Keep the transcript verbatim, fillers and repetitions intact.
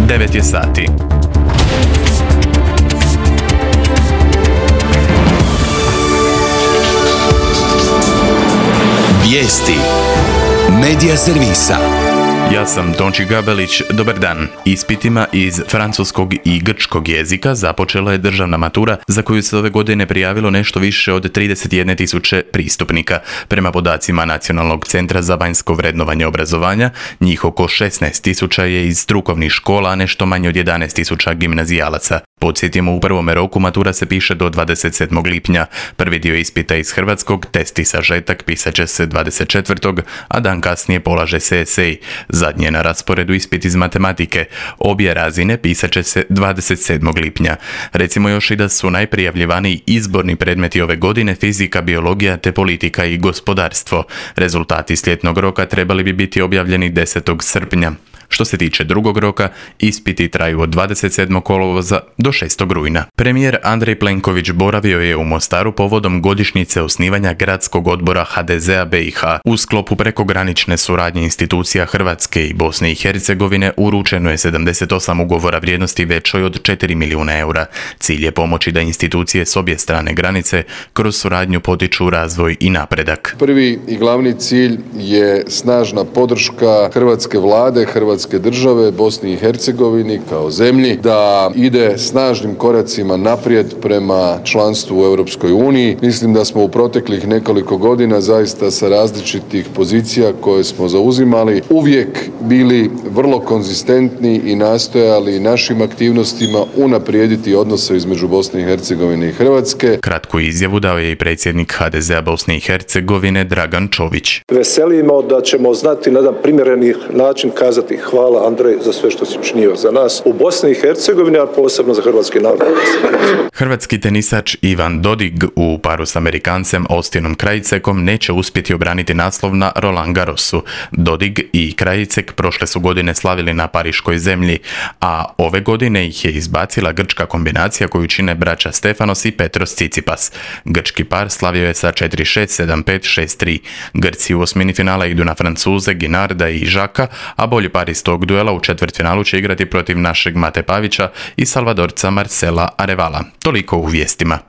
devet je sati. Vijesti Medija servisa. Ja sam Tonči Gabelić, dobar dan. Ispitima iz francuskog i grčkog jezika započela je državna matura za koju se ove godine prijavilo nešto više od trideset jedne tisuće pristupnika. Prema podacima Nacionalnog centra za vanjsko vrednovanje obrazovanja, njih oko šesnaest tisuća je iz strukovnih škola, a nešto manje od jedanaest tisuća gimnazijalaca. Podsjetimo, u prvome roku matura se piše do dvadeset sedmog lipnja. Prvi dio ispita iz hrvatskog, test i sažetak pisat će se dvadeset četvrtog a dan kasnije polaže se esej. Zadnje je na rasporedu ispit iz matematike. Obje razine pisat će se dvadeset sedmog lipnja. Recimo još i da su najprijavljivaniji izborni predmeti ove godine fizika, biologija te politika i gospodarstvo. Rezultati sljetnog roka trebali bi biti objavljeni desetog srpnja. Što se tiče drugog roka, ispiti traju od dvadeset sedmog kolovoza do šestog rujna. Premijer Andrej Plenković boravio je u Mostaru povodom godišnjice osnivanja Gradskog odbora ha de zea be i ha. U sklopu prekogranične suradnje institucija Hrvatske i Bosne i Hercegovine uručeno je sedamdeset osam ugovora vrijednosti većoj od četiri milijuna eura. Cilj je pomoći da institucije s obje strane granice kroz suradnju potiču razvoj i napredak. Prvi i glavni cilj je snažna podrška hrvatske vlade, hrvatske države, Bosni i Hercegovini kao zemlji da ide snažnim koracima naprijed prema članstvu u Europskoj uniji. Mislim da smo u proteklih nekoliko godina zaista sa različitih pozicija koje smo zauzimali uvijek bili vrlo konzistentni i nastojali našim aktivnostima unaprijediti odnose između Bosne i Hercegovine i Hrvatske. Kratku izjavu dao je i predsjednik ha de zea Bosne i Hercegovine Dragan Čović. Veselimo da ćemo znati na jedan primjereni način kazati hvala Andrej za sve što si učinio za nas u Bosni i Hercegovini, a posebno za hrvatski narod. Hrvatski tenisač Ivan Dodig u paru s Amerikancem Austinom Krajicekom neće uspjeti obraniti naslov na Roland Garrosu. Dodig i Krajicek prošle su godine slavili na pariškoj zemlji, a ove godine ih je izbacila grčka kombinacija koju čine braća Stefanos i Petros Tsitsipas. Grčki par slavio je sa četiri šest, sedam pet, šest tri. Grci u osmini finala idu na Francuze Ginarda i Žaka, a bolji par iz tog duela u četvrtfinalu će igrati protiv našeg Mate Pavića i Salvadorca Marcela Arevala. Toliko u vijestima.